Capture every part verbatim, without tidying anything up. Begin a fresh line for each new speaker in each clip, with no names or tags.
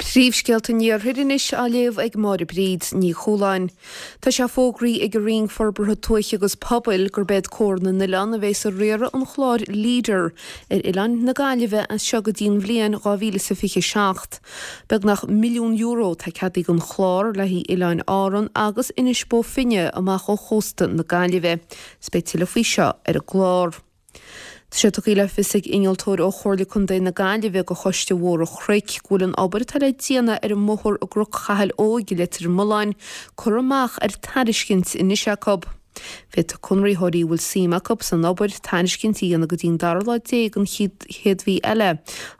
Príomhscéalta an Iarthair anois á léamh ag Máire Bríd Ní Chualáin. Tá sé fógraithe ag an Roinn Forbartha Tuaithe agus Pobail gurb iad Comhar na nOileán a bheas ag riaradh an chláir Leader ar oileáin na Gaillimhe as seo go dtí an bhliain dhá mhíle is a fiche seacht. Beagnach milliún euro atá ceadaithe don chlár le haghaidh Oileáin Árann agus Inis Bó Finne amach ó chósta na Gaillimhe. Is beidh tuilleadh faoi seo ar an gclár. Tá sé tugtha le fios ag innealtóir ó Chomhairle Contae na Gaillimhe do Choiste Bhóthar an Chnoic go bhfuil an obair atá le déanamh ar an mbóthar i gCnoc Chathail Óig i Leitir Mealláin curtha amach ar tairiscint anois acu. Féadfaidh conraitheoirí a bhfuil suim acu san obair tairiscint a dhéanamh go dtí an dara lá déag den chéad mhí eile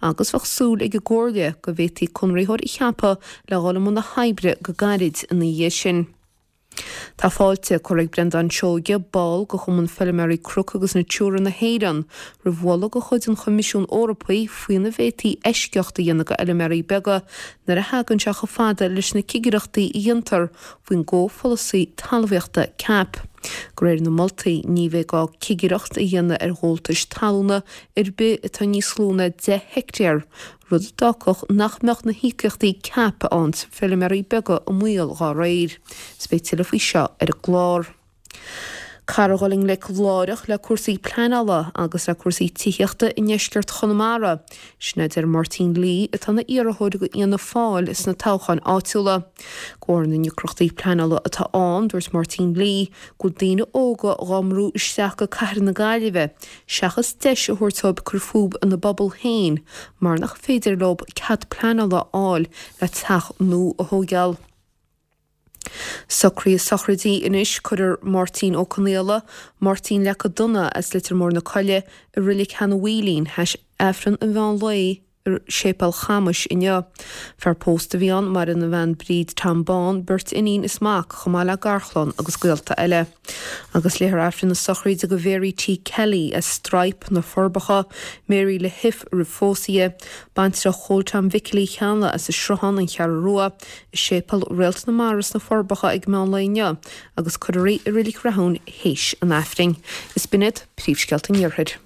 agus bheadh súil ag an gComhairle go bhféadfaí conraitheoir a cheapadh le dhul i mbun na hoibre go gairid ina dhiaidh sin. Tá fáilte curtha ag Breandán Seoige, ball de Chumann Feilméaraí Cnoc agus Natura na hÉireann, roimh mholadh de chuid an Choimisiúin Eorpaigh faoina bhféadfaí eisceacht a dhéanamh do fheilméaraí beaga nuair a thagann sé chomh fada leis na cigireachtaí a dhéantar faoin gcomhpholasaí talmhaíochta CAP. De réir na moltaí, ní bheidh gá cigireacht a dhéanamh ar ghabháltais talúna ar bith atá níos lú ná deich heicteár, rud a d'fhágfadh nach mbeadh na híocaíochtaí CAP a fhaigheann feilméaraí beaga i mbaol dá réir. Is beidh tuilleadh faoi seo ar an gclár. Caithfear a dhul i ngleic láithreach le cúrsaí pleanála agus le cúrsaí tithíochta i ndeisceart Chonamara, sin a deir Máirtín Lee atá ina iarrthóir do Fhianna Fáil sna toghcháin áitiúla. De bharr na ndeacrachtaí pleanála atá ann, dúirt Máirtín Lee go bhfuil daoine óga dhá mbrú isteach go cathair na Gaillimhe seachas deis a thabhairt dóibh cur fúthu ina bpobal féin mar nach féidir leo cead pleanála a fháil le teach nua a thógáil. Socruithe sochraide anois, Cuirfear Máirtín Ó Conaola, Máirtín Leaca Donna as Leitir Móir na Coille, i Reilig Sheanadh Mhaoilín, théis Aifreann an mheán lae i Séipéal Chamais inniu. Fear pósta a bhí ann, maireann a bhean Bríd Tom Bán, beirt iníon is mac, chomh maith le garchlann agus gaolta eile. Agus léifear Aifreann na sochraide do Mhary T. Kelly as Straidhp, Na Forbacha, Mary le hIf roimh phósadh di, baintreach Chóil Tom Mhicil Uí Cheallaigh as an Sruthán, An Cheathrú Rua, i Séipéal Réalt na Mara sna Forbacha ag meán lae inniu agus cuirfear í i Reilig Rathúin théis an Aifrinn. Is b'in iad príomhscéalta an Iarthair.